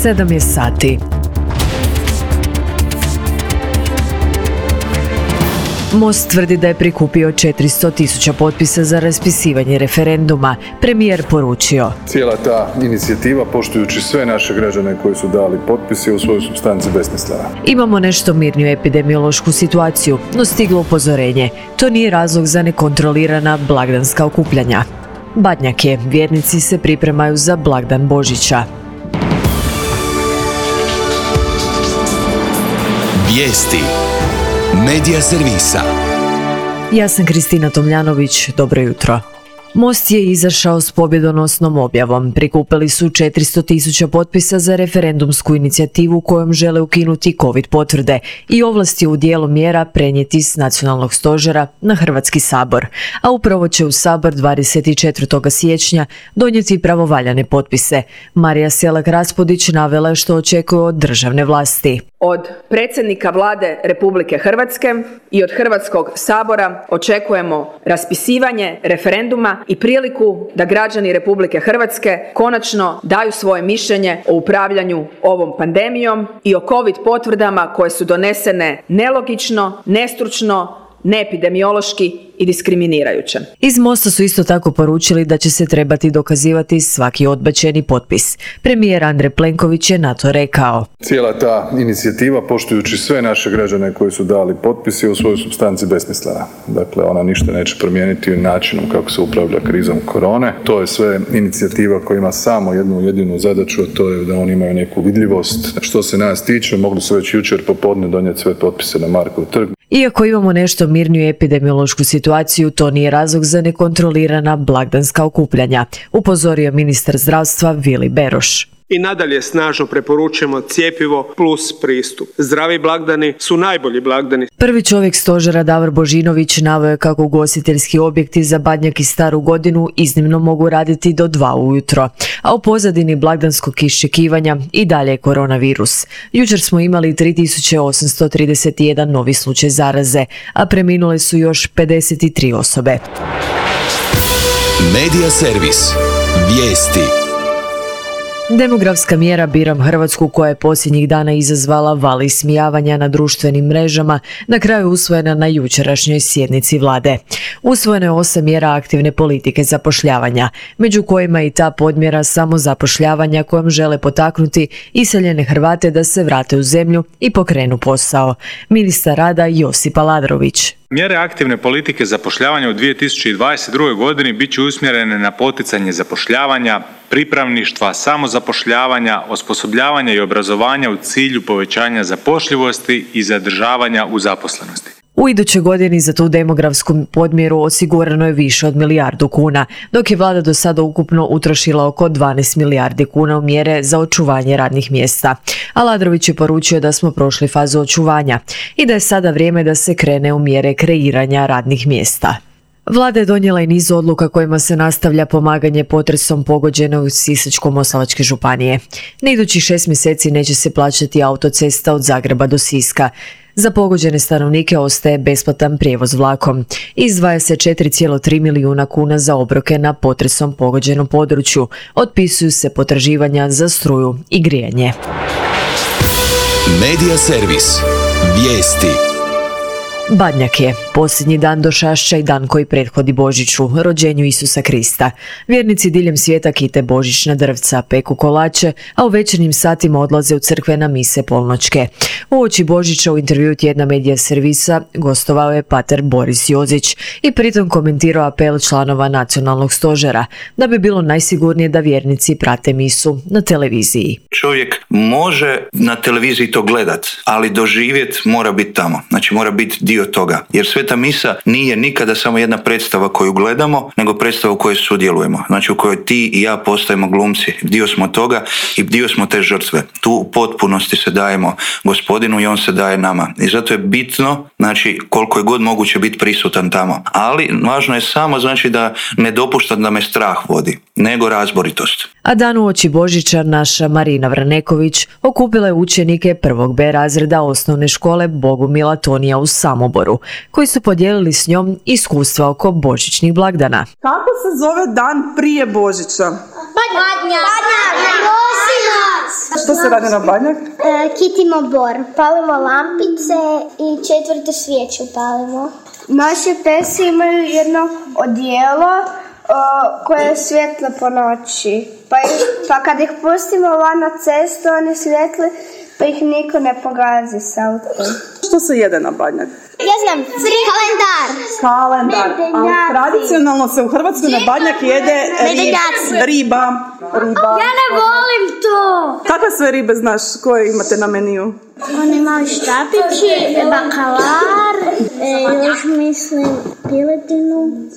7 je sati. Most tvrdi da je prikupio 400.000 potpisa za raspisivanje referenduma. Premijer poručio: cijela ta inicijativa, poštujući sve naše građane koji su dali potpise, u svojoj supstanci besmislena. Imamo nešto mirniju epidemiološku situaciju, no stiglo upozorenje. To nije razlog za nekontrolirana blagdanska okupljanja. Badnjak je, vjernici se pripremaju za blagdan Božića. Vijesti Medija servisa. Ja sam Kristina Tomljanović, dobro jutro. Most je izašao s pobjedonosnom objavom. Prikupili su 400.000 potpisa za referendumsku inicijativu kojom žele ukinuti COVID potvrde i ovlasti u dijelu mjera prenijeti s nacionalnog stožera na Hrvatski sabor. A upravo će u Sabor 24. siječnja donijeti pravovaljane potpise. Marija Selak-Raspudić navela što očekuje od državne vlasti. Od predsjednika Vlade Republike Hrvatske i od Hrvatskog sabora očekujemo raspisivanje referenduma i priliku da građani Republike Hrvatske konačno daju svoje mišljenje o upravljanju ovom pandemijom i o COVID potvrdama koje su donesene nelogično, nestručno, neepidemiološki i diskriminirajuće. Iz Mosta su isto tako poručili da će se trebati dokazivati svaki odbačeni potpis. Premijer Andrej Plenković je na to rekao: cijela ta inicijativa, poštujući sve naše građane koji su dali potpise, je u svojoj supstanci besmislena. Dakle, ona ništa neće promijeniti načinom kako se upravlja krizom korone. To je sve inicijativa koja ima samo jednu jedinu zadaću, a to je da oni imaju neku vidljivost. Što se nas tiče, mogli su već jučer popodne donijeti sve potpise na Markov trg. Iako imamo nešto mirniju epidemiološku situaciju, to nije razlog za nekontrolirana blagdanska okupljanja, upozorio ministar zdravstva Vili Beroš. I nadalje snažno preporučujemo cjepivo plus pristup. Zdravi blagdani su najbolji blagdani. Prvi čovjek stožera Davor Božinović naveo je kako ugostiteljski objekti za Badnjak i Staru godinu iznimno mogu raditi do 2 ujutro, a u pozadini blagdanskog iščekivanja i dalje je koronavirus. Jučer smo imali 3.831 novi slučaj zaraze, a preminule su još 53 osobe. Medija servis. Vijesti. Demografska mjera Biram Hrvatsku, koja je posljednjih dana izazvala val ismijavanja na društvenim mrežama, na kraju usvojena na jučerašnjoj sjednici vlade. Usvojeno je 8 mjera aktivne politike zapošljavanja, među kojima i ta podmjera samozapošljavanja kojom žele potaknuti iseljene Hrvate da se vrate u zemlju i pokrenu posao. Ministar rada Josip Aladrović. Mjere aktivne politike zapošljavanja u 2022. godini bit će usmjerene na poticanje zapošljavanja, pripravništva, samozapošljavanja, osposobljavanja i obrazovanja u cilju povećanja zapošljivosti i zadržavanja u zaposlenosti. U idućoj godini za tu demografsku podmjeru osigurano je više od 1 milijardu kuna, dok je vlada do sada ukupno utrošila oko 12 milijardi kuna u mjere za očuvanje radnih mjesta. Aladrović je poručio da smo prošli fazu očuvanja i da je sada vrijeme da se krene u mjere kreiranja radnih mjesta. Vlada je donijela i niz odluka kojima se nastavlja pomaganje potresom pogođene u Sisačko-moslavačke županije. Na idućih 6 mjeseci neće se plaćati autocesta od Zagreba do Siska. Za pogođene stanovnike ostaje besplatan prijevoz vlakom. Izdvaja se 4,3 milijuna kuna za obroke na potresom pogođenom području. Otpisuju se potraživanja za struju i grijanje. Medija servis. Vijesti. Badnjak je posljednji dan Došašća i dan koji prethodi Božiću, rođenju Isusa Krista. Vjernici diljem svijeta kite božićna drvca, peku kolače, a u večernjim satima odlaze u crkve na mise polnoćke. Uoči Božića u intervjuu tjedna Medija servisa gostovao je pater Boris Jozić i pritom komentirao apel članova nacionalnog stožera da bi bilo najsigurnije da vjernici prate misu na televiziji. Čovjek može na televiziji to gledat, ali doživjet mora biti tamo. Znači mora biti dio toga. Jer Sveta misa nije nikada samo jedna predstava koju gledamo, nego predstava u kojoj sudjelujemo. Znači u kojoj ti i ja postajemo glumci. Dio smo toga i dio smo te žrtve. Tu u potpunosti se dajemo Gospodinu i on se daje nama. I zato je bitno, znači koliko je god moguće biti prisutan tamo. Ali važno je samo znači da ne dopuštam da me strah vodi, nego razboritost. A dan uoči Božića naša Marina Vraneković okupila je učenike 1. B razreda osnovne škole Bogumila Tonija u Samoboru, koji su podijelili s njom iskustva oko božićnih blagdana. Kako se zove dan prije Božića? Badnjak. Što se radi na Badnjak? Kitimo bor. Palimo lampice i 4. svijeću palimo. Naše pesi imaju jedno odijelo koje je svjetlo po noći. Pa kad ih pustimo van na cestu, oni svijetli, pa ih niko ne pogazi s autom. Što se jede na Badnjak? Ja znam, Kalendar. Ali tradicionalno se u Hrvatskoj na Badnjak jede riba. Ja ne volim to. Kakve sve ribe znaš koje imate na meniju? Oni mali štapići, bakalar, još mislim piletinu.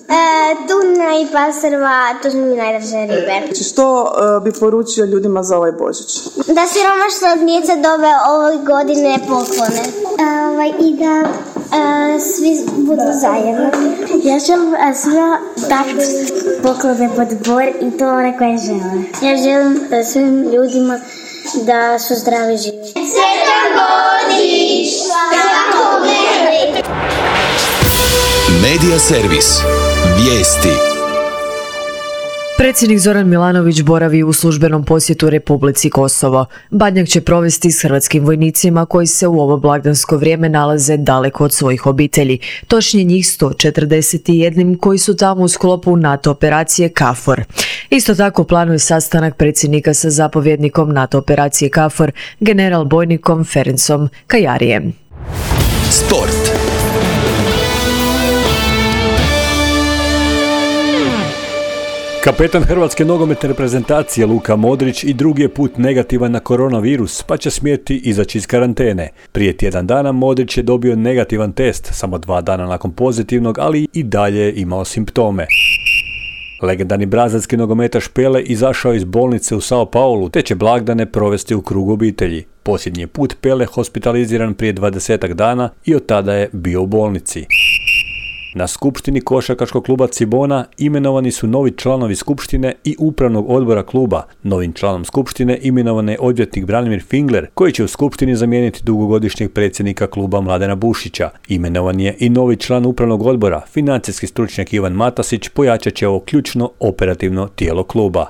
Tuna i pastrva, to su mi najdraže ribe. Što bi poručio ljudima za ovaj Božić? Da siromašna djeca dobe ove godine poklone. I da svi budu zajedno. Ja želim svima dati poklone pod bor i to one koje žele. Ja želim svim ljudima da su zdravi živi. Sretan Božić! Medija servis. Vijesti. Predsjednik Zoran Milanović boravi u službenom posjetu Republici Kosovo. Badnjak će provesti s hrvatskim vojnicima koji se u ovo blagdansko vrijeme nalaze daleko od svojih obitelji. Točnije njih 141 koji su tamo u sklopu NATO operacije KFOR. Isto tako planuje sastanak predsjednika sa zapovjednikom NATO operacije KFOR, general bojnikom Ferencom Kajarijem. Sport. Kapetan hrvatske nogometne reprezentacije Luka Modrić i drugi je put negativan na koronavirus, pa će smjeti izaći iz karantene. Prije tjedan dana Modrić je dobio negativan test, samo 2 dana nakon pozitivnog, ali i dalje je imao simptome. Legendarni brazilski nogometaš Pele izašao iz bolnice u Sao Paulu, te će blagdane provesti u krugu obitelji. Posljednji put Pele hospitaliziran prije 20 dana i od tada je bio u bolnici. Na skupštini košarkaškog kluba Cibona imenovani su novi članovi skupštine i upravnog odbora kluba. Novim članom skupštine imenovan je odvjetnik Branimir Fingler, koji će u skupštini zamijeniti dugogodišnjeg predsjednika kluba Mladena Bušića. Imenovan je i novi član upravnog odbora, financijski stručnjak Ivan Matasić, pojačat će ovo ključno operativno tijelo kluba.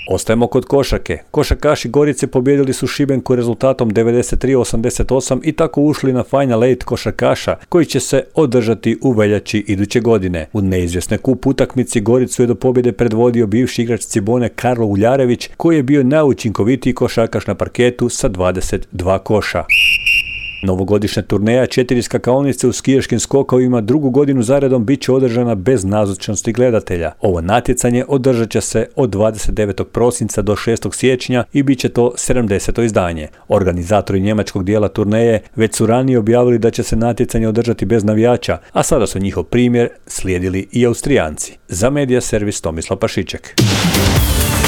Ostajemo kod košarke. Košarkaši Gorice pobijedili su Šibenku rezultatom 93-88 i tako ušli na Final 8 košarkaša koji će se održati u veljači iduće godine. U neizvjesnoj kup utakmici Goricu je do pobjede predvodio bivši igrač Cibone Karlo Uljarević, koji je bio najučinkovitiji košarkaš na parketu sa 22 koša. Novogodišnja turneja 4 skakaonice u skijaškim skokovima drugu godinu zaredom bit će održana bez nazočnosti gledatelja. Ovo natjecanje održat će se od 29. prosinca do 6. siječnja i bit će to 70. izdanje. Organizatori njemačkog dijela turneje već su ranije objavili da će se natjecanje održati bez navijača, a sada su njihov primjer slijedili i Austrijanci. Za Medija servis Tomislav Pašiček.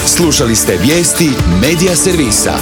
Slušali ste vijesti Medija servisa.